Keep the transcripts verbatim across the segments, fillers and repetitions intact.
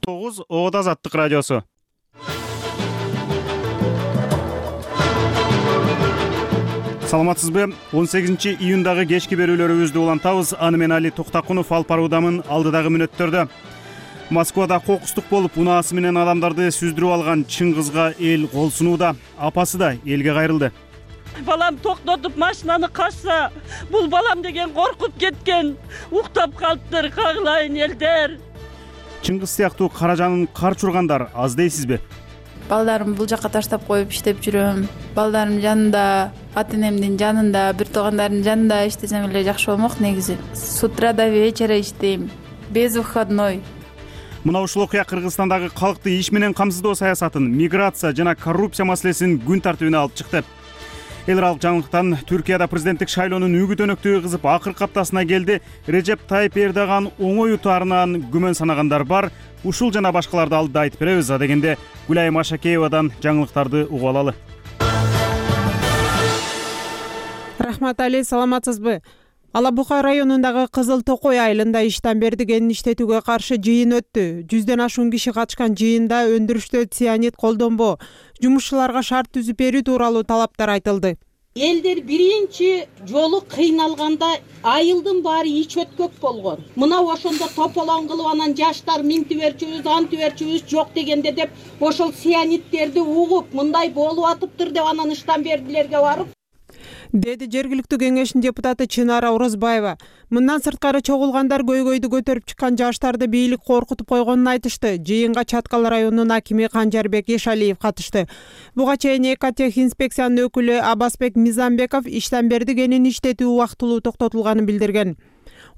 тогуз Ода Азаттык радиосу. Саламатсызбы? он сегизинчи июндагы кечки берүүлөрүбүздү улантабыз. Аны мен Али Токтакунов алып баруудамын. Алдыдагы мүнөттөрдө Москвада кокустук болуп, унаасы менен адамдарды сүздүрүп алган чың кызга эл кол сунууда. Апасы да элге кайрылды. Балам токтотуп машинаны качса, бул балам деген коркуп кеткен. Уктап калыптыр, кагылайын элдер. Чың кыз сыяктуу кара жанын карч ургандар аз дейсизби? Балдарым бул жака таштап коюп иштеп жүрөм. Балдарым жанында, ата энемдин жанында, бир туугандардын жанында иштесем эле жакшы болмок негизи. С утра до вечера иштейм, без выходной. Мына ушул окуя Кыргызстандагы калкты иш менен камсыздоо саясатын, миграция жана коррупция маселесин күн тартибине алып чыкты. Эл аралык жаңылыктан Түркияда президенттик шайлоонун үгүт өнөктүгү кызып акыркы аптасына келди. Режеп Тайып Эрдоган оңой утаарынан күмөн санагандар бар. Ушул жана башкаларды алдыда айтып беребиз. А дегенде Гүлайым Ашакеевадан жаңылыктарды угуп алалы. Рахмат Али, саламатсызбы? Ала Бука районундагы Кызыл Токой айылында иштен берди кенин иштетүүгө каршы жыйын өттү. Жүздөн ашуун киши катышкан жыйында өндүрүштө цианид колдонбоо, жумушчуларга шарт түзүп берүү тууралуу талаптар айтылды. Элдер биринчи жолу кыйналганда айылдын баары ич өткөк болгон. Мына ошондо тополоң кылып анан жаштар минти берчүбүз, анты берчүбүз жок дегенде деп ошол цианидтерди угуп, мындай болуп атыптыр деп анан ыштан бердилерге барып деди жергиликтүү кеңештин депутаты Чынара Орозбаева. Мындан сырткары чогулгандар көйгөйдү көтөрүп чыккан жаштарды бийлик коркутуп койгонун айтышты. Жыйынга Чаткал районунун акими Канжарбек Ешалиев катышты. Буга чейин Экотехинспекциянын өкүлү Абасбек Мизамбеков иштен берди кенин иштетүү убактылуу токтотулганын билдирген.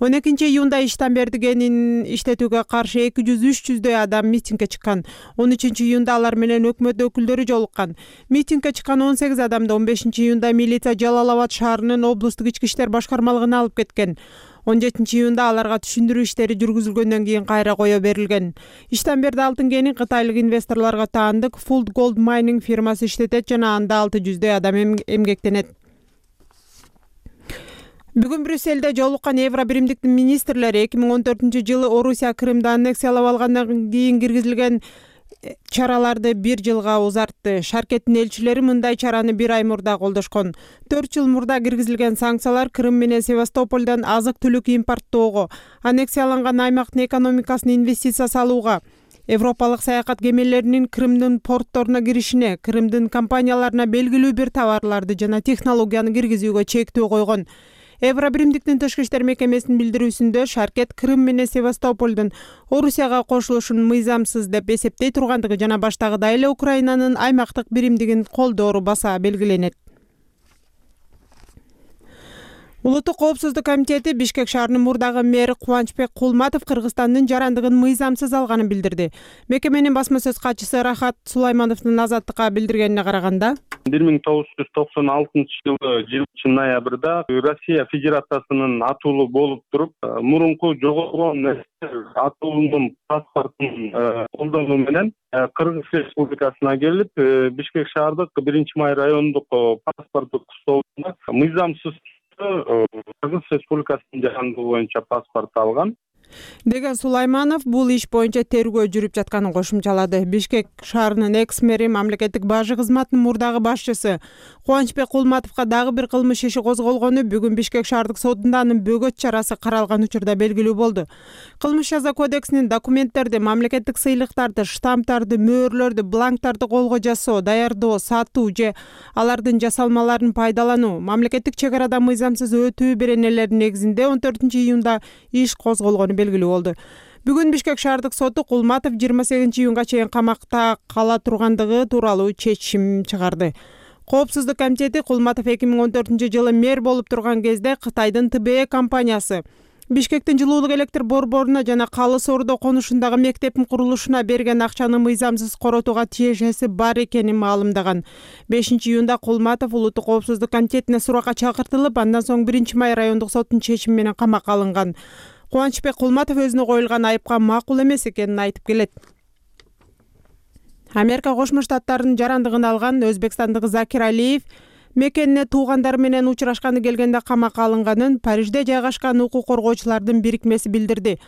он экинчи июнда иштен берди кенин иштетүүгө каршы эки жүз үч жүздөй адам митингге чыккан. он үчүнчү июнда алар менен өкмөт өкүлдөрү жолуккан. Митингге чыккан он сегиз адамды он бешинчи июнда милиция Жалал Абад шаарынын облустук ички иштер башкармалыгына алып кеткен. он жетинчи июнда аларга түшүндүрүү иштери жүргүзүлгөндөн кийин кайра кое берилген. Иштен берди алтын кенин кытайлык инвесторлорго таандык Full Gold Mining фирмасы иштетет жана анда алты жүздөй адам эмгектенет. Бүгүн Брюссельде жолуккан Евро биримдиктин министрлери эки миң он төртүнчү жылы Орусия Крымды аннексиялап алгандан кийин киргизилген чараларды бир жылга узартты. Шаркеттин элчилери мындай чараны бир ай мурда колдошкон. төрт жыл мурда киргизилген санкциялар Крым менен Севастополдон азык-түлүк импорттоого, аннексияланган аймактын экономикасына инвестиция салууга, Европалык саякат кемелеринин Крымдын портторуна киришине, Крымдын компанияларына белгилүү бир товарларды жана технологияны киргизүүгө чектөө койгон. Евро биримдиктин тышкы иштер мекемесинин билдирүүсүндө Шаркет Крым менен Севастополдун Орусияга кошулушун мыйзамсыз деп эсептей тургандыгы жана баштагыдай эле Украинанын аймактык биримдигин колдоору баса белгиленет. Улуттук коопсуздук комитети Бишкек шаарынын мурдагы мэри Кубанычбек Кулматов Кыргызстандын жарандыгын мыйзамсыз алганын билдирди. Мекеменин басма сөз катчысы Рахат Сулаймановдун Азаттыкка билдиргенине караганда, бир миң тогуз жүз токсон алтынчы жылы жылынчы ноябрда Россия Федерациясынын атуулу болуп туруп, мурунку жоголгон атуулунун паспортун колдонуу менен Кыргыз Республикасына келип, Бишкек шаардык биринчи май райондук паспорттук столуна мыйзамсыз Кыргыз Республикасынын жарандыгы боюнча паспорт алган деген Сулайманов бул иш боюнча тергөө жүрүп жатканын кошумчалады. Бишкек шаарынын экс-мэри, мамлекеттик бажы кызматынын мурдагы башчысы Кубанычбек Кулматовго дагы бир кылмыш иши козголгону бүгүн Бишкек шаардык сотунда анын бөгөт чарасы каралган учурда белгилүү болду. Кылмыш жаза кодексинин документтерди, мамлекеттик сыйлыктарды, штамптарды, мөөрлөрдү, бланктарды колго жасоо, даярдоо, сатуу же алардын жасалмаларын пайдалануу, мамлекеттик чек арада мыйзамсыз өтүү беренелеринин негизинде он төртүнчү июнда иш козголгону белгилүү болду. Бүгүн Бишкек шаардык соту Кулматов жыйырма сегизинчи июнга чейин камакта кала тургандыгы тууралуу чечим чыгарды. Коопсуздук комитети Кулматов эки миң он төртүнчү жылы мэр болуп турган кезде Кытайдын Тэ Бэ Э компаниясы Бишкектин жылуулук электр борборуна жана Калы Соордо конушундагы мектептин курулушуна берген акчаны мыйзамсыз коротууга тиешеси бар экенин маалымдаган. бешинчи июнда Кулматов Улуттук коопсуздук комитетине суракка чакыртылып, андан соң биринчи май райондук соттун чечими менен камакка алынган. Кубанычбек Кулматов өзүнө коюлган айыпка макул эмес экенин айтып келет. Америка Кошмо Штаттарынын жарандыгын алган өзбекстандык Закир Алиев мекенине туугандары менен учурашканы келгенде камакка алынганын Парижде жайгашкан укук коргоочулардын бирикмеси билдирди.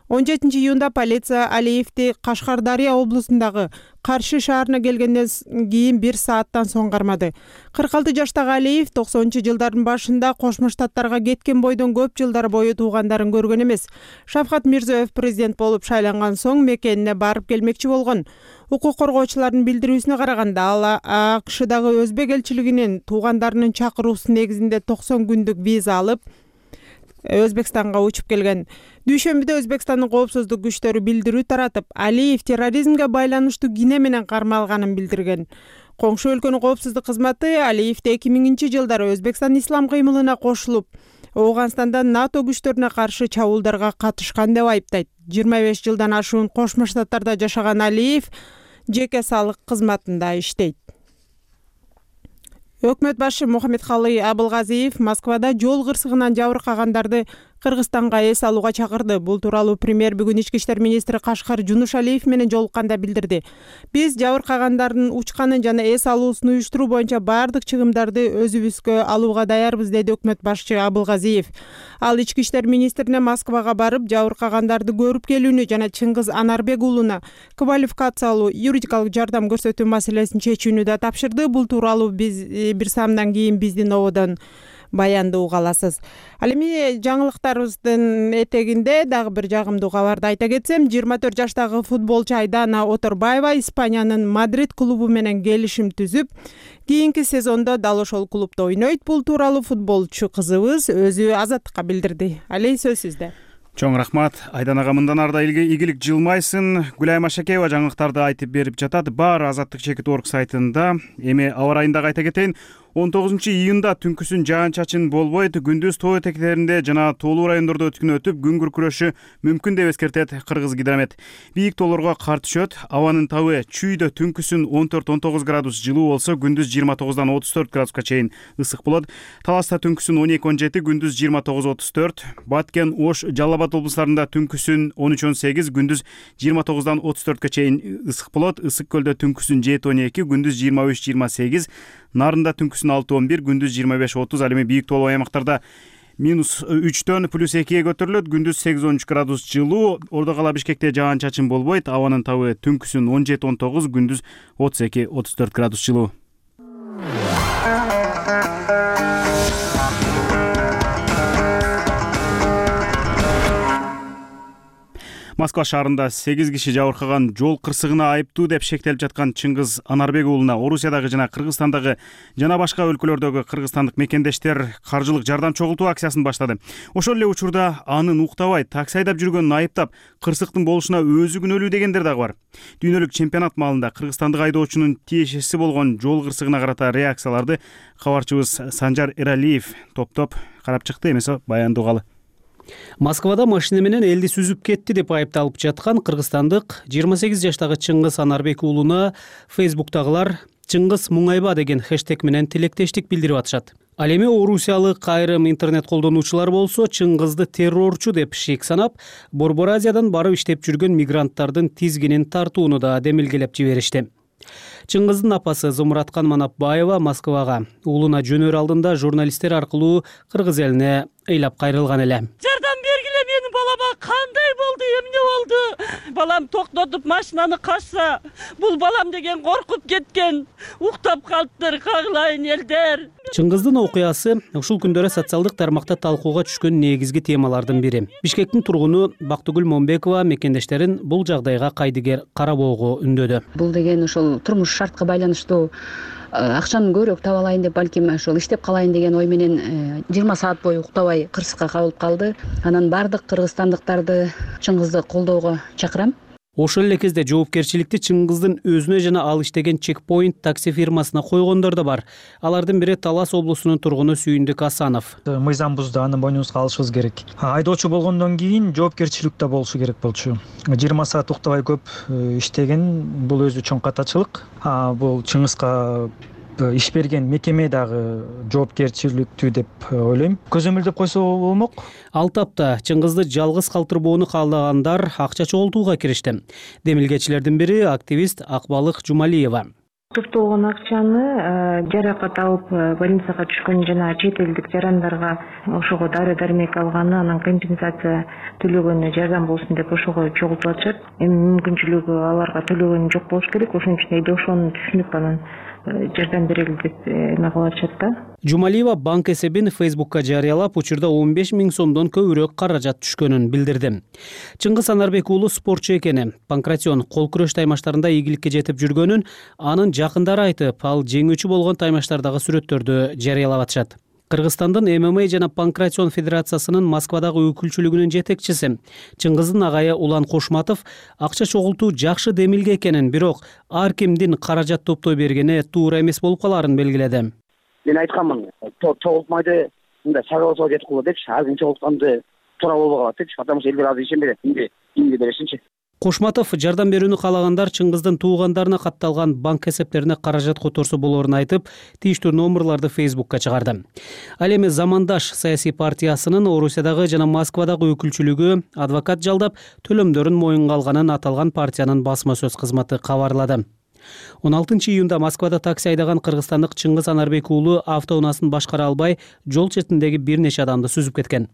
он жетинчи июнда полиция Алиевди Кашкардария облусундагы Каршы шаарына келгенден кийин бир сааттан соң кармады. кырк алты жаштагы Алиев токсонунчу жылдардын башында Кошмо Штаттарга кеткен бойдон көп жылдар бою туугандарын көргөн эмес. Шавкат Мирзиёев президент болуп шайланган соң мекенине барып келмекчи болгон. Укук коргоочулардын билдирүүсүнө караганда, ал АКШдагы өзбек элчилигинин туугандарынын чакыруусу негизинде токсон күндүк виза алып, Өзбекстанга учуп келген. Дүйшөмбүдө Өзбекстандын коопсуздук күчтөрү билдирүү таратып, Алиев терроризмге байланыштуу кине менен кармалганын билдирген. Коңшу өлкөнүн коопсуздук кызматы Алиевди эки миңинчи жылдары Өзбекстан ислам кыймылына кошулуп, Ооганстанда НАТО күчтөрүнө каршы чабуулдарга катышкан деп айыптайт. жыйырма беш жылдан ашуун Кошмо Штаттарда жашаган Алиев жеке салык кызматында иштейт. Өкмөт башы Мухаммедкалый Абылгазиев Москвада жол кырсыгынан жабыркагандарды Кыргызстанга эс алууга чакырды. Бул тууралуу премьер бүгүн ички иштер министри Кашкар Жунушалиев менен жолукканда билдирди. Биз жабыркагандардын учканын жана эс алуусун уюштуруу боюнча баардык чыгымдарды өзүбүзгө алууга даярбыз, деди өкмөт башчы Абылгазиев. Ал ички иштер министрине Москвага барып, жабыркагандарды көрүп келүүнү жана Чыңгыз Анарбек уулуна квалификациялуу юридикалык жардам көрсөтүү маселесин чечүүнү да тапшырды. Бул тууралуу биз бир саамдан кийин биздин ободон баянды уга аласыз. Ал эми жаңылыктарыбыздын этегинде дагы бир жагымдуу кабарды айта кетсем, жыйырма төрт жаштагы футболчу Айдана Оторбаева Испаниянын Мадрид клубу менен келишим түзүп, кийинки сезондо дал ошол клубда ойнойт. Бул тууралуу футболчу кызыбыз өзү Азаттыкка билдирди. Алей, сөз сизде. Чоң рахмат. Айданага мындан ары да ийгилик жылмайсын. Гүлайым Ашакеева жаңылыктарды айтып берип жатат. Баары Азаттык чекит орг сайтында. Эми аба райындагы айта кетейин. он тогузунчу июнда түнкүсүн жаан-чачын болбойт. Күндүз тоо этектеринде жана тоолуу райондордо өткүн өтүп, күн күркүрөшү мүмкүн деп эскертет Кыргыз гидромет. Бийик тоолорго кар түшөт. Абанын табы чүйдө түнкүсүн он төрт он тогуз градус жылуу болсо, күндүз жыйырма тогуздан отуз төрт градуска чейин ысык болот. Таласта түнкүсүн он эки он жети, күндүз жыйырма тогуз отуз төрт. Баткен, Ош, Жалал Абад облустарында түнкүсүн он үч он сегиз, күндүз жыйырма тогуздан отуз төрткө чейин ысык болот. Ысык көлдө түнкүсүн жети он эки, күндүз жыйырма үч жыйырма сегиз. Нарында түнкүсүн алты он бир, күндүз жыйырма беш отуз. Ал эми бийик тоолуу аймактарда минус үчтөн плюс экиге көтөрүлөт. Күндүз сегиз он үч градус жылуу. Ордо кала Бишкекте жаан-чачын болбойт. Абанын табы түнкүсүн он жети он тогуз, күндүз отуз эки отуз төрт градус жылуу. Москва шаарында сегиз киши жабыркаган жол кырсыгына айыптуу деп шектелип жаткан Чыңгыз Анарбек уулуна Орусиядагы жана Кыргызстандагы жана башка өлкөлөрдөгү кыргызстандык мекендештер каржылык жардам чогултуу акциясын баштады. Ошол эле учурда анын уктабай такси айдап жүргөнүн айыптап, кырсыктын болушуна өзү күнөөлүү дегендер дагы бар. Дүйнөлүк чемпионат маалында кыргызстандык айдоочунун тиешеси болгон жол кырсыгына карата реакцияларды кабарчыбыз Санжар Эралиев топтоп карап чыкты. Эмесе баянды угалы. Москвада машина менен элди сүзүп кетти деп айыпталып жаткан кыргызстандык жыйырма сегиз жаштагы Чыңгыз Анарбек уулуна Фейсбуктагылар Чыңгыз Муңайба деген хэштег менен тилектештик билдирип атышат. Ал эми орусиялык айрым интернет колдонуучулар болсо Чыңгызды террорчу деп шик санап, Борбор Азиядан барып иштеп жүргөн мигранттардын тизгинин тартууну да демилгелеп жиберишти. Чыңгыздын апасы Зумураткан Манапбаева Москвага уулуна жөнөр алдында журналисттер аркылуу кыргыз элине ыйлап кайрылган эле. Жардам бергиле, менин балама кандай болду, эмне болду? Балам токтотуп машинаны качса, бул балам деген коркуп кеткен. Уктап калыптыр, кагылайын элдер. Чыңгыздын окуясы ушул күндөрү социалдык тармакта талкууга түшкөн негизги темалардын бири. Бишкектин тургуну Бактыгүл Момбекова мекендештерин бул жагдайга кайдыгер карабоого үндөдү. Бул деген ошол турмуш шартка байланыштуу акчаны көбүрөөк таба алайын деп, балким ошол иштеп калайын деген ой менен жыйырма саат бою уктабай кырсыкка кабылып калды. Анан бардык кыргызстандыктарды Чыңгызды колдоого чакырам. Ошол эле кезде жоопкерчиликти Чыңгыздын өзүнө жана ал иштеген Чекпоинт такси фирмасына койгондор да бар. Алардын бири Талас облусунун тургуну Сүйүндүк Асанов. Мыйзамбузду аны мойнубузга алышыбыз керек. Айдоочу болгондон кийин жоопкерчилик да болушу керек болчу. жыйырма саат уктабай көп иштеген, бул өзү чоң катачылык. Бул Чыңгызга иш берген мекеме дагы жоопкерчиликтүү деп ойлойм. Көзөмөлдөп койсо болмок. Ал тапта Чыңгызды жалгыз калтырбоону каалагандар акча чогултууга киришти. Демилгечилердин бири активист Акбалык Жумалиева. Топтолгон акчаны жаракат алып больницага түшкөн жана чет элдик жарандарга ошого дары дармек алганы, анан компенсация төлөгөнү жардам болсун деп ошого чогултуп атышат. Эми мүмкүнчүлүгү аларга төлөгөнү жок болуш керек. Ошон үчүн эйде ошону түшүнүп анан жардам берели деп эме кылып атышат да. Жумалиева банк эсебин Фейсбукка жарыялап, учурда он беш миң сомдон көбүрөөк каражат түшкөнүн билдирди. Чыңгыз Анарбек уулу спортчу экени, панкратион кол күрөш таймаштарында ийгиликке жетип жүргөнүн анын жакындары айтып, ал жеңүүчү болгон таймаштардагы сүрөттөрдү жарыялап атышат. Кыргызстандын эм эм а жана панкратион федерациясынын Москвадагы өкүлчүлүгүнүн жетекчиси Чыңгыздын агайы Улан Кошматов акча чогултуу жакшы демилге экенин, бирок ар кимдин каражат топтой бергени туура эмес болуп калаарын белгиледи. Мен айтканмын, чогултмайды, мындай сагаласоо жетип калат депчи, ар ким чогултканды туура болбой калат депчи, потому что элдер азыр ишенбейт, эмне эмне беришинчи. Кошматов жардам берүүнү каалагандар Чыңгыздын туугандарына катталган банк эсептерине каражат которсо болоорун айтып, тийиштүү номерларды Фейсбукка чыгарды. Ал эми Замандаш саясий партиясынын Орусиядагы жана Москвадагы өкүлчүлүгү адвокат жалдап төлөмдөрүн моюнга алганын аталган партиянын басма сөз кызматы кабарлады. он алтынчы июнда Москвада такси айдаган кыргызстандык Чыңгыз Анарбек уулу автоунаасын башкара албай, жол четиндеги бир нече адамды сүзүп кеткен.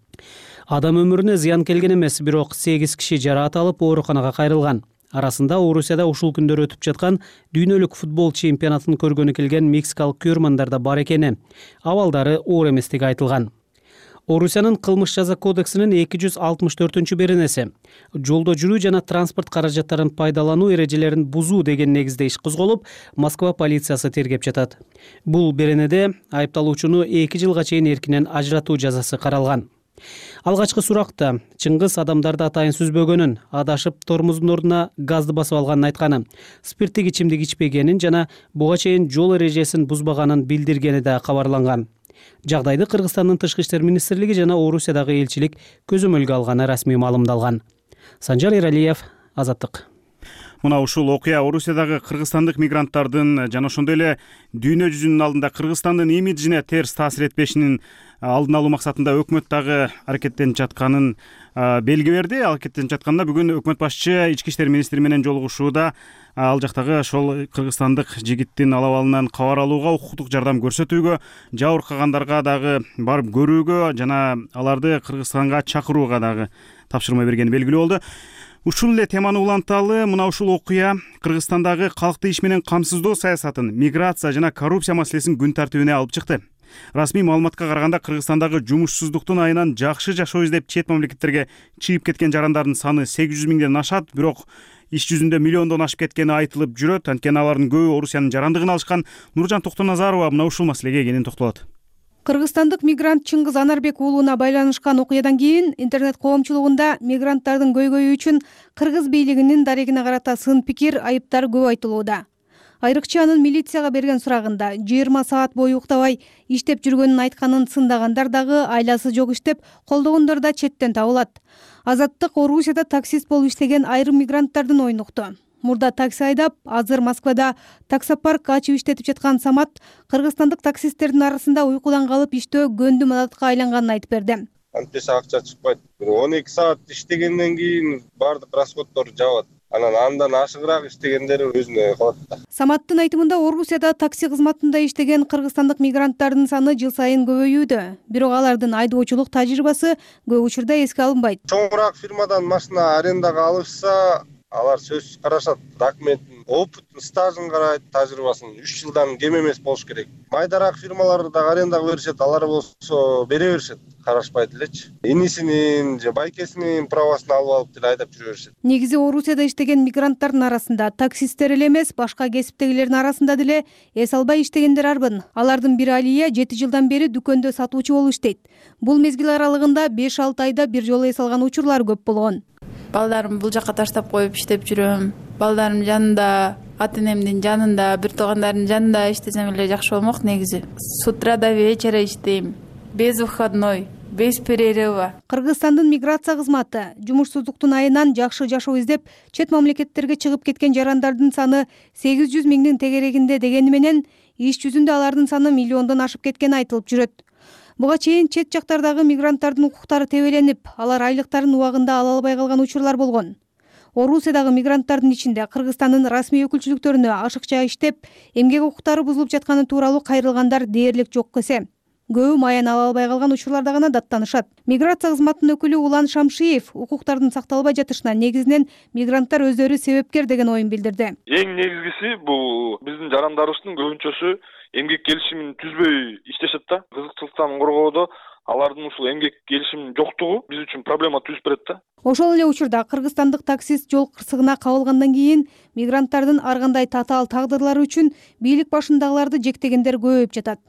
Адам өмүрүнө зыян келген эмес, бирок сегиз киши жараат алып ооруканага кайрылган. Арасында Орусияда ушул күндөр өтүп жаткан дүйнөлүк футбол чемпионатын көргөнү келген мексикалык көрөрмандар да бар экени, абалдары оор эместиги айтылган. Орусиянын кылмыш жаза кодексинин эки жүз алтымыш төртүнчү беренеси жолдо жүрүү жана транспорт каражаттарын пайдалануу эрежелерин бузуу деген негизде иш козголуп, Москва полициясы тергеп жатат. Бул беренеде айыпталуучуну эки жылга чейин эркинен ажыратуу жазасы каралган. Алгачкы суракта Чыңгыз адамдарды атайын сүзбөгөнүн, адашып тормоздун ордуна газды басып алганын айтканы, спирттик ичимдик ичпегенин жана буга чейин жол эрежесин бузбаганын билдиргени да кабарланган. Жагдайды Кыргызстандын Тышкы иштер министрлиги жана Орусиядагы элчилик көзөмөлгө алганы расмий маалымдалган. Санжар Эралиев, Азаттык. Мына ушул окуя Орусиядагы кыргызстандык мигранттардын жана ошондой эле дүйнө жүзүнүн алдында Кыргызстандын имиджине терс таасир этпешинин алдын алуу максатында өкмөт дагы аракеттенип жатканын белги берди. Аракеттенип жатканда бүгүн өкмөт башчы ички иштер министри менен жолугушууда ал жактагы ошол кыргызстандык жигиттин ал абалынан кабар алууга, укуктук жардам көрсөтүүгө, жабыркагандарга дагы барып көрүүгө жана аларды Кыргызстанга чакырууга дагы тапшырма бергени белгилүү болду. Ушул эле теманы уланталы мына ушул окуя Кыргызстандагы калкты иш менен камсыздоо саясатын, миграция жана коррупция маселесин күн тартибине алып чыкты. Расмий маалыматка караганда Кыргызстандагы жумушсуздуктун айынан жакшы жашоо издеп чет мамлекеттерге чыгып кеткен жарандардын саны сегиз жүз миңден ашат, бирок иш жүзүндө миллиондон ашып кеткени айтылып жүрөт. Анткени алардын көбү Орусиянын жарандыгын алышкан. Нуржан Токтоназарова мына ушул маселеге кенен токтолот. Кыргызстандык мигрант Чыңгыз Анарбек уулуна байланышкан окуядан кийин интернет коомчулугунда мигранттардын көйгөйү үчүн кыргыз бийлигинин дарегине карата сын пикир, айыптар көп айтылууда. Айрыкча анын милицияга берген сурагында жыйырма саат бою уктабай иштеп жүргөнүн айтканын сындагандар дагы айласы жок иштеп колдогондор да четтен табылат. Азаттык Орусияда таксист болуп иштеген айрым мигранттардын оюн укту. Мурда такси айдап, азыр Москвада таксопарк ачып иштетип жаткан Самат кыргызстандык таксисттердин арасында уйкудан калып иштөө көндүм адатка айланганын айтып берди. Антиса акча чыкпайт. он эки саат иштегенден кийин баардык расходдор жабат. Анан андан ашыгыраак иштегендери өзүнө калат да. Саматтын айтымында Орусияда такси кызматында иштеген кыргызстандык мигранттардын саны жыл сайын көбөйүүдө. Бирок алардын айдоочулук тажрыйбасы көп учурда эске алынбайт. Чоңураак фирмадан машина арендага алышса, алар сөзсүз карашат, документин, опытын, стажын карайт, тажрыйбасын үч жылдан кем эмес болуш керек. Майдараак фирмаларды да арендага беришет, алар болсо бере беришет, карашпайт элечи. Инисинин же байкесинин правасын алып алып деле айдап жүрө беришет. Негизи Орусияда иштеген мигранттардын арасында таксисттер эле эмес, башка кесиптегилердин арасында деле эс албай иштегендер арбын. Алардын бири Алия жети жылдан бери дүкөндө сатуучу болуп иштейт. Бул мезгил аралыгында беш алты айда бир жолу эс алган учурлар көп болгон. Балдарымды бул жака таштап коюп иштеп жүрөм. Балдарым жанында, ата энемдин жанында, бир туугандардын жанында иштесем эле жакшы болмок негизи. С утра до вечера иштейм. Без выходной, без перерыва. Кыргызстандын миграция кызматы жумушсуздуктун айынан жакшы жашоо издеп чет мамлекеттерге чыгып кеткен жарандардын саны сегиз жүз миңдин тегерегинде дегени менен иш жүзүндө алардын саны миллиондон ашып кеткени айтылып жүрөт. Буга чейин чет жактардагы мигранттардын укуктары тебеленип, алар айлыктарын убагында ала албай калган учурлар болгон. Орусиядагы мигранттардын ичинде Кыргызстандын расмий өкүлчүлүктөрүнө ашыкча иштеп, эмгек укуктары бузулуп жатканы тууралуу кайрылгандар дээрлик жок эсе. Көбү маяна ала албай калган учурларда гана даттанышат. Миграция кызматынын өкүлү Улан Шамшиев укуктардын сакталбай жатышына негизинен мигранттар өздөрү себепкер деген оюн билдирди. Эң негизгиси бул биздин жарандарыбыздын көбүнчөсү эмгек келишимин түзбөй иштешет да. Кызыкчылыктан коргоодо алардын ушул эмгек келишиминин жоктугу биз үчүн проблема түзүп берет да. Ошол эле учурда кыргызстандык таксист жол кырсыгына кабылгандан кийин мигранттардын ар кандай татаал тагдырлары үчүн бийлик башындагыларды жектегендер көбөйүп жатат.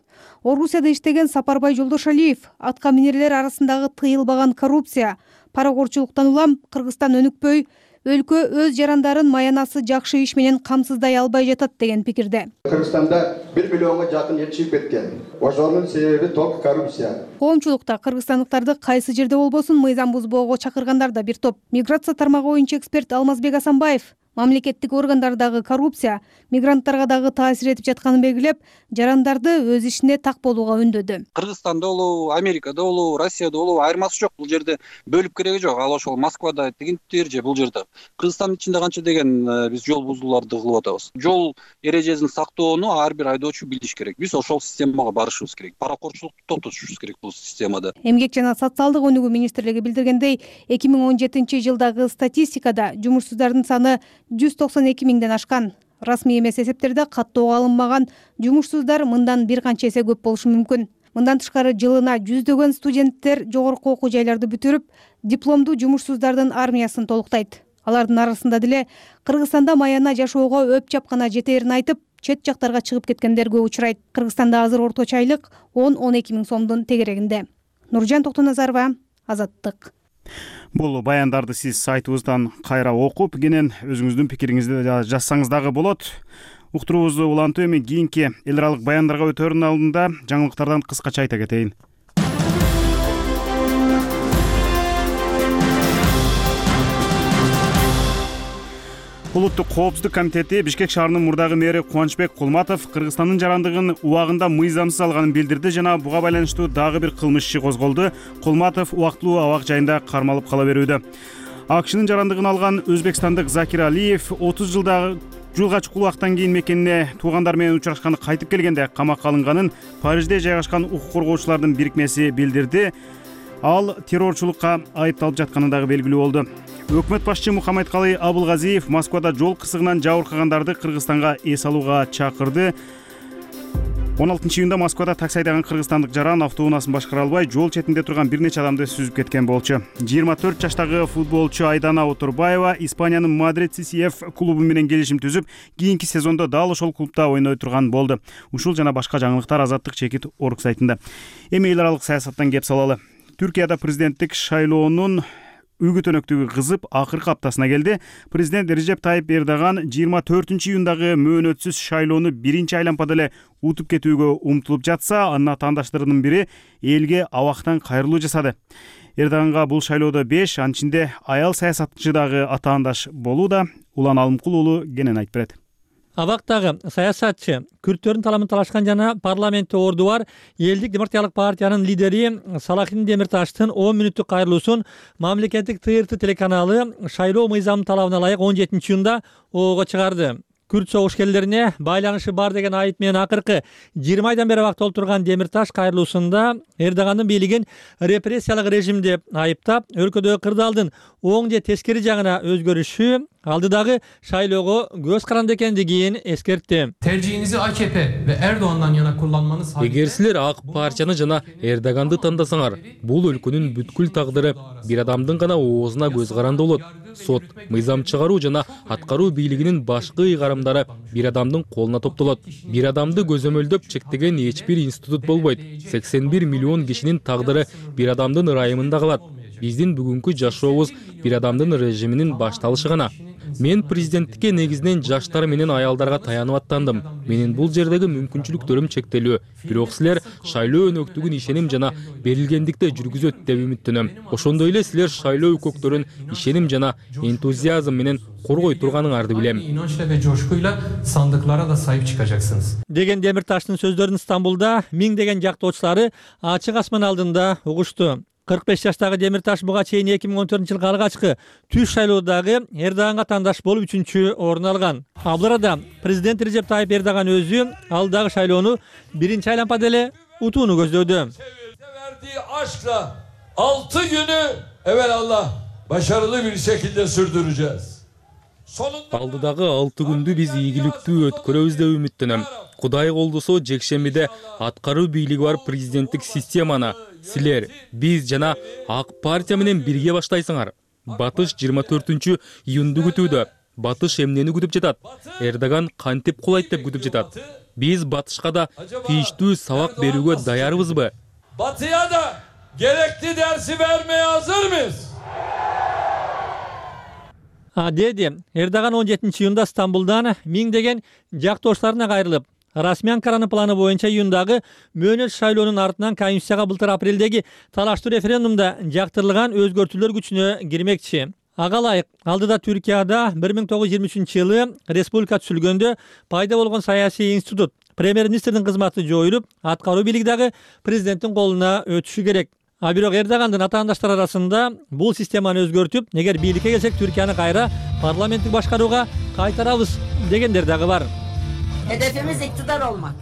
Орусияда иштеген Сапарбай Жолдошалиев атка минерлер арасындагы тыйылбаган коррупция, паракорчулуктан улам Кыргызстан өнүкпөй, өлкө өз жарандарын маянасы жакшы иш менен камсыздай албай жатат деген пикирде. Кыргызстанда бир миллионго жакын эл чыгып кеткен. Ошонун себеби только коррупция. Коомчулукта кыргызстандыктарды кайсы жерде болбосун мыйзам бузбоого чакыргандар да бир топ. Миграция тармагы боюнча эксперт Алмазбек Асанбаев мамлекеттик органдардагы коррупция мигранттарга дагы таасир этип жатканын белгилеп, жарандарды өз ишине так болууга үндөдү. Кыргызстанда болобу, Америкада болобу, Россияда болобу айырмасы жок. Бул жерде бөлүп кереги жок. Ал ошол Москвада дегендир же бул жерде. Кыргызстандын ичинде канча деген биз жол бузууларды кылып атабыз. Жол эрежесин сактоону ар бир айдоочу билиш керек. Биз ошол системага барышыбыз керек. Паракорчулукту токтотушубуз керек бул системада. Эмгек жана социалдык өнүгүү министрлиги билдиргендей, эки миң он жетинчи жылдагы статистикада жумушсуздардын саны жүз токсон эки миңден ашкан. Расмий эмес эсептерде каттоого алынмаган жумушсуздар мындан бир канча эсе көп болушу мүмкүн. Мындан тышкары жылына жүздөгөн студенттер жогорку окуу жайларды бүтүрүп, дипломдуу жумушсуздардын армиясын толуктайт. Алардын арасында деле Кыргызстанда маяна жашоого өп чапкана жетээрин айтып, чет жактарга чыгып кеткендер көп учурайт. Кыргызстанда азыр орточо айлык он он эки миң сомдун тегерегинде. Нуржан Токтоназарова, Азаттык. Бул баяндарды сиз сайтыбыздан кайра окуп, кенен өзүңүздүн пикириңизди жазсаңыз дагы болот. Уктуруубузду улантып, эми кийинки эл аралык баяндарга өтөрүнүн алдында жаңылыктардан кыскача айта кетейин. Улуттук коопсуздук комитети Бишкек шаарынын мурдагы мэри Кубанычбек Кулматов Кыргызстандын жарандыгын убагында мыйзамсыз алганын билдирди жана буга байланыштуу дагы бир кылмыш иши козголду. Кулматов убактылуу абак жайында кармалып кала берүүдө. АКШнын жарандыгын алган өзбекстандык Закир Алиев отуз жылда жылга чукул убакыттан кийин мекенине туугандар менен учурашканы кайтып келгенде камакка алынганын Парижде жайгашкан укук коргоочулардын бирикмеси билдирди. Ал террорчулукка айыпталып жатканы дагы белгилүү болду. Өкмөт башчы Мухаммедкалый Абылгазиев Москвада жол кырсыгынан жабыркагандарды Кыргызстанга эс алууга чакырды. он алтынчы июнда Москвада такси айдаган кыргызстандык жаран автоунаасын башкара албай жол четинде турган бир нече адамды сүзүп кеткен болчу. жыйырма төрт жаштагы футболчу Айдана Отурбаева Испаниянын Мадрид Си Си Эф клубу менен келишим түзүп, кийинки сезондо дал ошол клубда ойной турган болду. Ушул жана башка жаңылыктар Азаттык чекит орг сайтында. Эми эл аралык саясаттан кеп салалы. Түркияда президенттик шайлоонун үгүт өнөктүгү кызып акыркы аптасына келди. Президент Режеп Тайып Эрдоган жыйырма төртүнчү июндагы мөөнөтсүз шайлоону биринчи айланпада эле утуп кетүүгө умтулуп жатса, анын атаандаштарынын бири элге абактан кайрылуу жасады. Эрдоганга бул шайлоодо беш, анын ичинде аял саясатчы дагы атаандаш болууда. Улан Алымкул уулу кенен айтып берет. Абактагы саясатчы, күрттөрдүн таламын талашкан жана парламентте орду бар Элдик демократиялык партиянын лидери Салахин Демирташтын он мүнөттүк кайрылуусун мамлекеттик Т Р Т телеканалы шайлоо мыйзамынын талабына ылайык он жетинчи июнда оого чыгарды. Күрт согушкерлерине байланышы бар деген айып менен акыркы жыйырма айдан бери абакта отурган Демирташ кайрылуусунда Эрдогандын бийлигин репрессиялык режим деп айыптап, өлкөдөгү кырдаалдын оң же тескери жагына өзгөрүшү алдыдагы шайлоого көз каранды экендигин эскертти. Tercihinizi A K P ve Erdoğan'dan yana kullanmanız halinde... Эгер силер ак партияны жана Эрдоганды тандасаңар, бул өлкөнүн бүткүл тагдыры бир адамдын гана оозуна көз каранды болот. Сот, мыйзам чыгаруу жана аткаруу бийлигинин башкы ыйгарымдары бир адамдын колуна топтолот. Бир адамды көзөмөлдөп чектеген эч бир институт болбойт. сексен бир миллион кишинин тагдыры бир адамдын ырайымында калат. Биздин бүгүнкү жашообуз бир адамдын режиминин башталышы гана. Мен президенттикке негизинен жаштар менен аялдарга таянып аттандым. Менин бул жердеги мүмкүнчүлүктөрүм чектелүү. Бирок силер шайлоо өнөктүгүн ишеним жана берилгендикте жүргүзөт деп үмүттөнөм. Ошондой эле силер шайлоо өкөктөрүн ишеним жана энтузиазм менен коргой турганыңарды билем. İnançla ve coşkuyla sandıklara da sahip çıkacaksınız. Деген Демирташтын сөздөрүн Стамбулда миңдеген жактоочулары ачык асман алдында угушту. кырк беш жаштагы Демирташ буга чейин эки миң он төртүнчү жылкы алгачкы түз шайлоодагы Эрдоганга тандаш болуп үчүнчү орун алган. Ал бул арада президент Режеп Тайып Эрдоган өзү алдагы шайлоону биринчи айланпада эле утууну көздөдү. Aşkla altı günü evvelallah başarılı bir şekilde sürdüreceğiz. Алдыдагы алты күндү биз ийгиликтүү өткөрөбүз деп үмүттөнөм. Кудай колдосо жекшембиде аткаруу бийлиги бар президенттик системаны силер, биз жана ак партия менен бирге баштайсыңар. Батыш жыйырма төртүнчү июнду күтүүдө. Батыш эмнени күтүп жатат? Эрдоган кантип кулайт деп күтүп жатат. Биз Батышка да тийиштүү сабак берүүгө даярбызбы? Batıya da gerekli dersi vermeye hazır mıyız? Деди Эрдоган он жетинчи июнда Стамбулдан миңдеген жактоштарына кайрылып, расмий Анкаранын планы боюнча июндагы мөөнөт шайлоонун артынан Конституцияга былтыр апрелдеги талаштуу референдумда жактырылган өзгөртүүлөр күчүнө кирмекчи. Ага ылайык алдыда Түркияда бир миң тогуз жүз жыйырма үчүнчү жылы республика түзүлгөндө пайда болгон саясий институт премьер-министрдин кызматы жоюлуп, аткаруу бийлиги дагы президенттин колуна өтүшү керек. А бирок Эрдогандын атаандаштары арасында бул системаны өзгөртүп, эгер бийликке келсек Түркияны кайра парламенттик башкарууга кайтарабыз дегендер дагы бар. Hedefimiz iktidar olmak.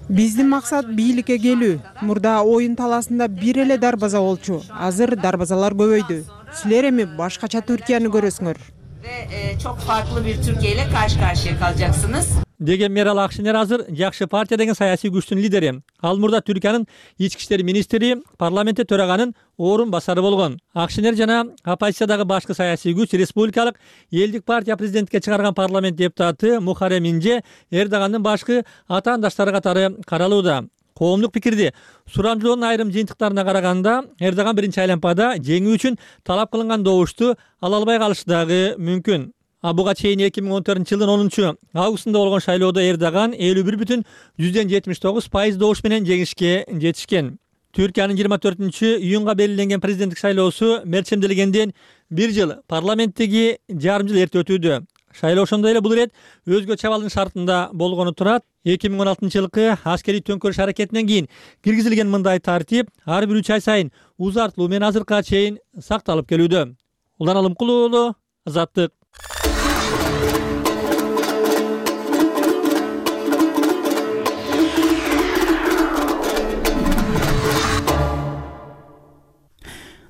Биздин максат бийликке келүү. Мурда оюн таласында бир эле дарбаза болчу. Азыр дарбазалар көбөйдү. Силер эми башкача Түркияны көрөсүңөр. Ve çok farklı bir Türkiye ile karşı karşıya kalacaksınız. Деген Мерал Акшинер азыр Жакшы партия деген саясий күчтүн лидери. Ал мурда Түркиянын ички иштер министри, парламентте төраганын орун басары болгон. Акшинер жана оппозициядагы башкы саясий күч республикалык элдик партия президентке чыгарган парламент депутаты Мухаррем Инже Эрдогандын башкы атаандаштары катары каралууда. Коомдук пикирди сурамжылоонун айрым жыйынтыктарына караганда Эрдоган биринчи айланпада жеңүү үчүн талап кылынган добушту ала албай калышы дагы мүмкүн. А буга чейин эки миң он төртүнчү жылдын онунчу августунда болгон шайлоодо Эрдоган элүү бир бүтүн жүздөн жетимиш тогуз пайыз добуш менен жеңишке жетишкен. Түркиянын жыйырма төртүнчү июнга белгиленген президенттик шайлоосу мерчемделгенден бир жыл, парламенттеги жарым жыл эрте өтүүдө. Шайлоо ошондой эле бул ирет өзгөчө абалдын шартында болгону турат. эки миң он алтынчы жылкы аскерий төңкөрүш аракетинен кийин киргизилген мындай тартип ар бир үч ай сайын узартылуу менен азыркыга чейин сакталып келүүдө. Улан Алымкулуу уулу, Азаттык.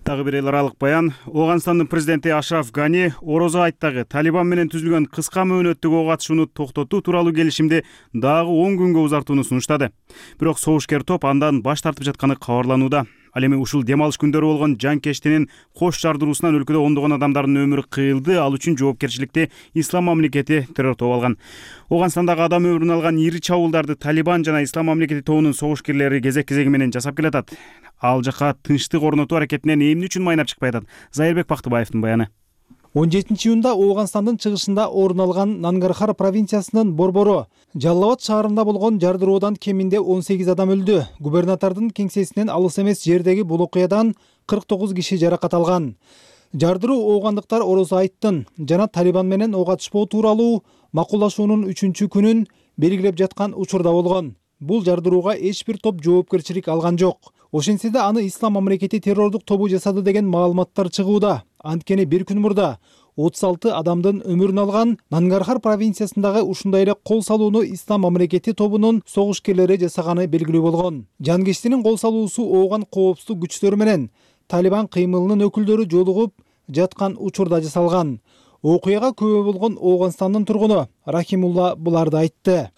Дагы бир эл аралык баян. Ооганстандын президенти Ашраф Гани Орозо айттагы Талибан менен түзүлгөн кыска мөөнөттөгү ок атышууну токтотуу тууралуу келишимди дагы он күнгө узартууну сунуштады. Бирок согушкер топ андан баш тартып жатканы кабарланууда. Ал эми ушул дем алыш күндөрү болгон жанкештинин кош жардыруусунан өлкөдө ондогон адамдардын өмүрү кыйылды, ал үчүн жоопкерчиликти Ислам мамлекети террор тобу алган. Ооганстандагы адам өмүрүн алган ири чабуулдарды Талибан жана Ислам мамлекети тобунун согушкерлери кезек-кезеги менен жасап келатат. Ал жака тынчтык орнотуу аракетинен эмне үчүн майнап чыкпай атат? Зайырбек Бактыбаевдин баяны. он жетинчи июнда Ооганстандын чыгышында орун алган Нангархар провинциясынын Борбору Жаллабад шаарында болгон жардыруудан кеминде он сегиз адам өлдү. Губернатордун кеңсесинен алыс эмес жердеги бул окуядан кырк тогуз киши жаракат алган. Жардыруу оогандыктар Орозо айттын жана Талибан менен ок атышпоо тууралуу макулдашуунун үчүнчү күнүн белгилеп жаткан учурда болгон. Бул жардырууга эч бир топ жоопкерчилик алган жок. Ошентсе да аны Ислам мамлекети террордук тобу жасады деген маалыматтар чыгууда. Анткени бир күн мурда отуз алты адамдын өмүрүн алган Нангархар провинциясындагы ушундай эле кол салууну Ислам мамлекети тобунун согушкерлери жасаганы белгилүү болгон. Жанкештинин кол салуусу ооган коопсуздук күчтөрү менен Талибан кыймылынын өкүлдөрү жолугуп жаткан учурда жасалган. Окуяга күбө болгон Ооганстандын тургуну Рахимулла буларды айтты.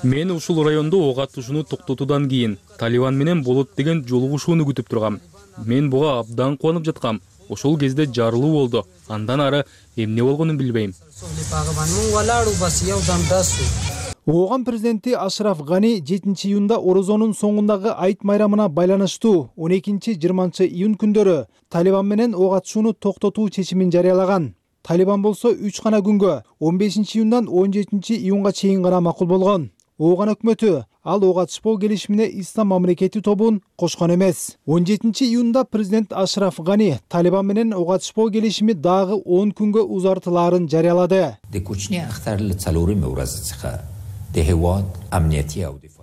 Мен ушул райондо ок атышууну токтотуудан кийин Талибан менен болот деген жолугушууну күтүп тургам. Мен буга абдан кубанып жаткам. Ошол кезде жарылуу болду. Андан ары эмне болгонун билбейм. Ооган президенти Ашраф Гани жетинчи июнда Орозонун соңундагы айт майрамына байланыштуу он экинчи жыйырманчы июнь күндөрү Талибан менен ок атышууну токтотуу чечимин жарыялаган. Талибан болсо үч гана күнгө он бешинчи июндан он жетинчи июнга чейин гана макул болгон. Ооган өкмөтү ал ок атышпоо келишимине Ислам мамлекети тобун кошкон эмес. он жетинчи июнда президент Ашраф Гани Талибан менен ок атышпоо келишими дагы он күнгө узартылаарын жарыялады.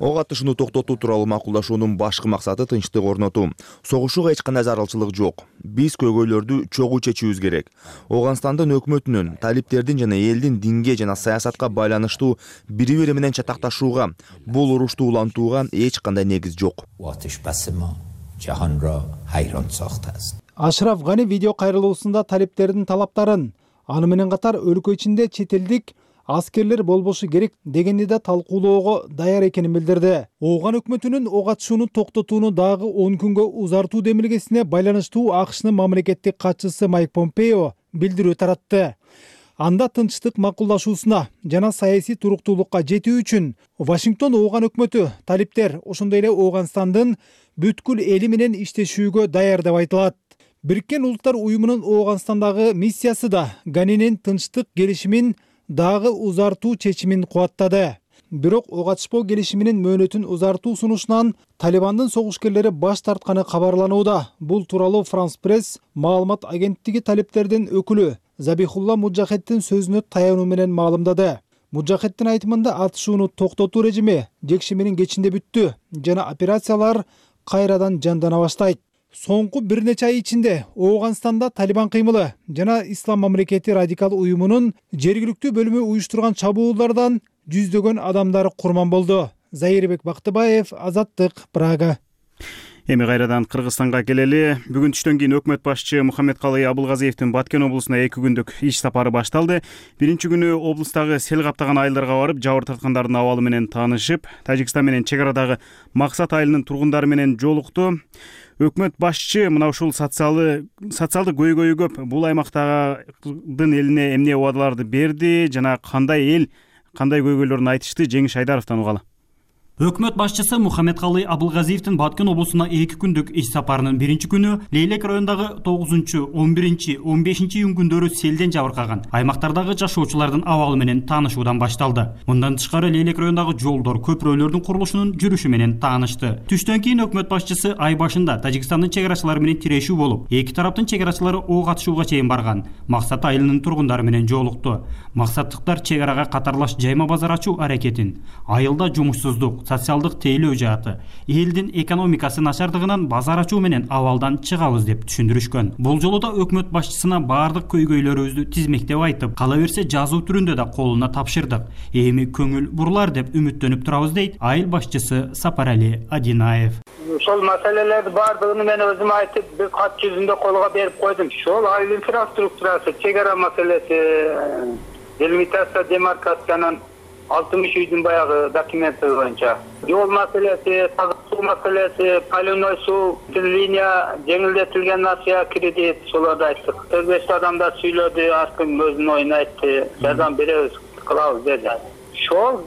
ок атышууну токтотуу тууралуу макулдашуунун башкы максаты тынчтык орнотуу. Согушууга эч кандай зарылчылык жок. Биз көйгөйлөрдү чогуу чечүүбүз керек. Ооганстандын өкмөтүнүн, талиптердин жана элдин динге жана саясатка байланыштуу бири-бири менен чатакташууга, бул урушту улантууга эч кандай негиз жок. Ашраф Гани видео кайрылуусунда талиптердин талаптарын, аны менен катар өлкө ичинде чет элдик аскерлер болбошу керек дегенди да талкуулоого даяр экенин билдирди. Ооган өкмөтүнүн ок атышууну токтотууну дагы он күнгө узартуу демилгесине байланыштуу АКШнын мамлекеттик катчысы Майк Помпео билдирүү таратты. Анда тынчтык макулдашуусуна жана саясий туруктуулукка жетүү үчүн Вашингтон ооган өкмөтү, талиптер, ошондой эле Ооганстандын бүткүл эли менен иштешүүгө даяр деп айтылат. Бириккен Улуттар уюмунун Ооганстандагы миссиясы да Ганинин тынчтык келишимин дагы узартуу чечимин кубаттады. Бирок ок атышпоо келишиминин мөөнөтүн узартуу сунушунан Талибандын согушкерлери баш тартканы кабарланууда. Бул тууралуу Франс Пресс маалымат агенттиги талиптердин өкүлү Забихулла Муджахеттин сөзүнө таянуу менен маалымдады. Муджахеттин айтымында атышууну токтотуу режими жекшембинин кечинде бүттү жана операциялар кайрадан жандана баштайт. Соңку бир нече ай ичинде Ооганстанда Талибан кыймылы жана Ислам мамлекети радикал уюмунун жергиликтүү бөлүмү уюштурган чабуулдардан жүздөгөн адамдар курман болду. Заирбек Бактыбаев, Азаттык, Прага. Эми кайрадан Кыргызстанга келели. Бүгүн түштөн кийин өкмөт башчы Мухаммедкалый Абылгазиевдин Баткен облусуна эки күндүк иш сапары башталды. Биринчи күнү облустагы сел каптаган айылдарга барып, жабыр тарткандардын абалы менен таанышып, Тажикстан менен чек арадагы Максат айылынын тургундары менен жолукту. Өкмөт башчы мына ушул социалдык көйгөйү көп бул аймактагы элине эмне убадаларды берди жана кандай эл кандай көйгөйлөрүн айтышты, Жеңиш Айдаровдон угалы. Өкмөт башчысы Мухаммедкалый Абылгазиевдин Баткен облусуна эки күндүк иш сапарынын биринчи күнү Лейлек районундагы тогузунчу, он биринчи, он бешинчи июнь күндөрү селден жабыркаган аймактардагы жашоочулардын абалы менен таанышуудан башталды. Мындан тышкары Лейлек районундагы жолдор, көпүрөлөрдүн курулушунун жүрүшү менен таанышты. Түштөн кийин өкмөт башчысы ай башында Тажикстандын чек арачылары менен тирешүү болуп, эки тараптын чек арачылары ок атышууга чейин барган. Максат айылынын тургундары менен жолукту. Максаттыктар чек арага катарлаш жайма базар ачуу аракетин, айылда жумушсуздук, социалдык тейлөө жааты, элдин экономикасы начардыгынан базар ачуу менен абалдан чыгабыз деп түшүндүрүшкөн. Бул жолу да өкмөт башчысына баардык көйгөйлөрүбүздү тизмектеп айтып, кала берсе жазуу түрүндө да колуна тапшырдык. Эми көңүл бурлар деп үмүттөнүп турабыз дейт айыл башчысы Сапарали Адинаев. Ошол маселелерди баардыгын мен өзүм айтып, бир кат жүзүндө колго берип койдум. Ошол айыл инфраструктурасы, чек ара маселеси, делимитация, демаркациянын алтымыш үйдүн баягы документи боюнча, жол маселеси, таза суу маселеси, полевной суу, линия жеңилдетилген насыя кредит, солорду айттык. төрт беш адамдар сүйлөдү, ар ким өзүнүн оюн айтты, жардам беребиз, кылабыз деди. Ошол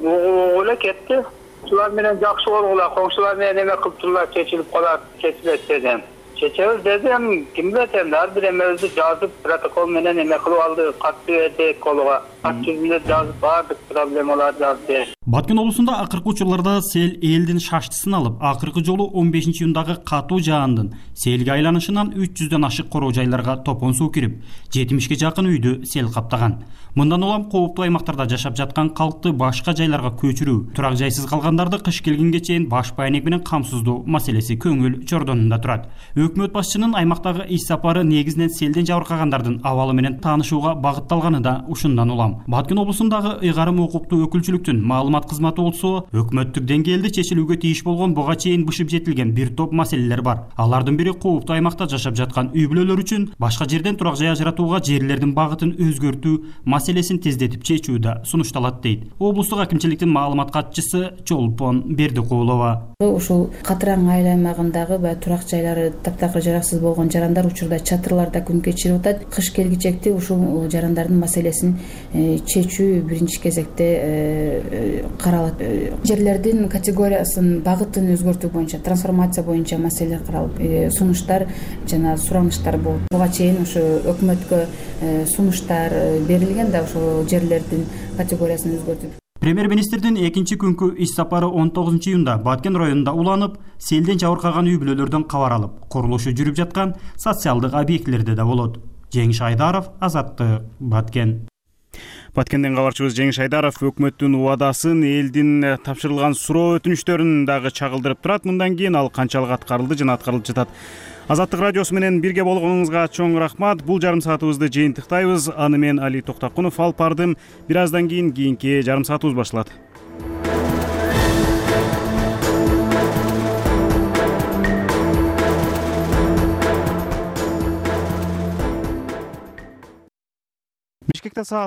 эле кетти. Ушулар менен жакшы болгула, коңшулар менен эме кылып турула, чечилип калат, чечилет дедим. Чечебиз дедим, ким билет эми, ар бир эмебизди жазып, протокол менен эме кылып алдык, кат бердик колго. Кат жүзүндө жазып, баардык проблемаларды жазып. Баткен облусунда акыркы учурларда сел элдин шаштысын алып, акыркы жолу он бешинчи июндагы катуу жаандын селге айланышынан үч жүздөн ашык короо жайларга топон суу кирип, жетимишке жакын үйдү сел каптаган. Мындан улам кооптуу аймактарда жашап жаткан калкты башка жайларга көчүрүү, турак жайсыз калгандарды кыш келгенге чейин баш байнек менен камсыздоо маселеси көңүл чордонунда турат. Өкмөт башчынын аймактагы иш сапары негизинен селден жабыркагандардын абалы менен таанышууга багытталганы да ушундан улам. Баткен облусундагы ыйгарым укуктуу өкүлчүлүктүн маалымат кызматы болсо, өкмөттүк деңгээлде чечилүүгө тийиш болгон буга чейин бышып жетилген бир топ маселелер бар. Алардын бири кооптуу аймакта жашап жаткан үй бүлөлөр үчүн башка жерден турак жай ажыратууга жерлердин багытын өзгөртүү маселесин тездетип чечүү да сунушталат дейт облустук акимчиликтин маалымат катчысы Чолпон Бердикулова. Ушул Катыраң айыл аймагындагы баягы турак жайлары таптакыр жараксыз болгон жарандар учурда чатырларда күн кечирип атат. Кыш келгичекти ушул жарандардын маселесин чечүү биринчи кезекте каралат. Жерлердин категориясын, багытын өзгөртүү боюнча, трансформация боюнча маселелер каралып, сунуштар жана сураныштар болуп. Буга чейин ушу өкмөткө сунуштар берилген да ошол жерлердин категориясын өзгөртүп. Премьер-министрдин экинчи күнкү иш сапары он тогузунчу июнда Баткен районунда уланып, селден жабыркаган үй бүлөлөрдөн кабар алып, курулушу жүрүп жаткан социалдык объектилерде да болот. Жеңиш Айдаров, Азаттык, Баткен. Баткенден кабарчыбыз Жеңиш Айдаров өкмөттүн убадасын, элдин тапшырылган суроо өтүнүчтөрүн дагы чагылдырып турат. Мындан кийин ал канчалык аткарылды жана аткарылып жатат. Азаттык радиосу менен бирге болгонуңузга чоң рахмат. Бул жарым саатыбызды жыйынтыктайбыз. Аны мен Али Токтакунов алып бардым. Бир аздан кийин кийинки жарым саатыбыз башталат. Бишкекте саат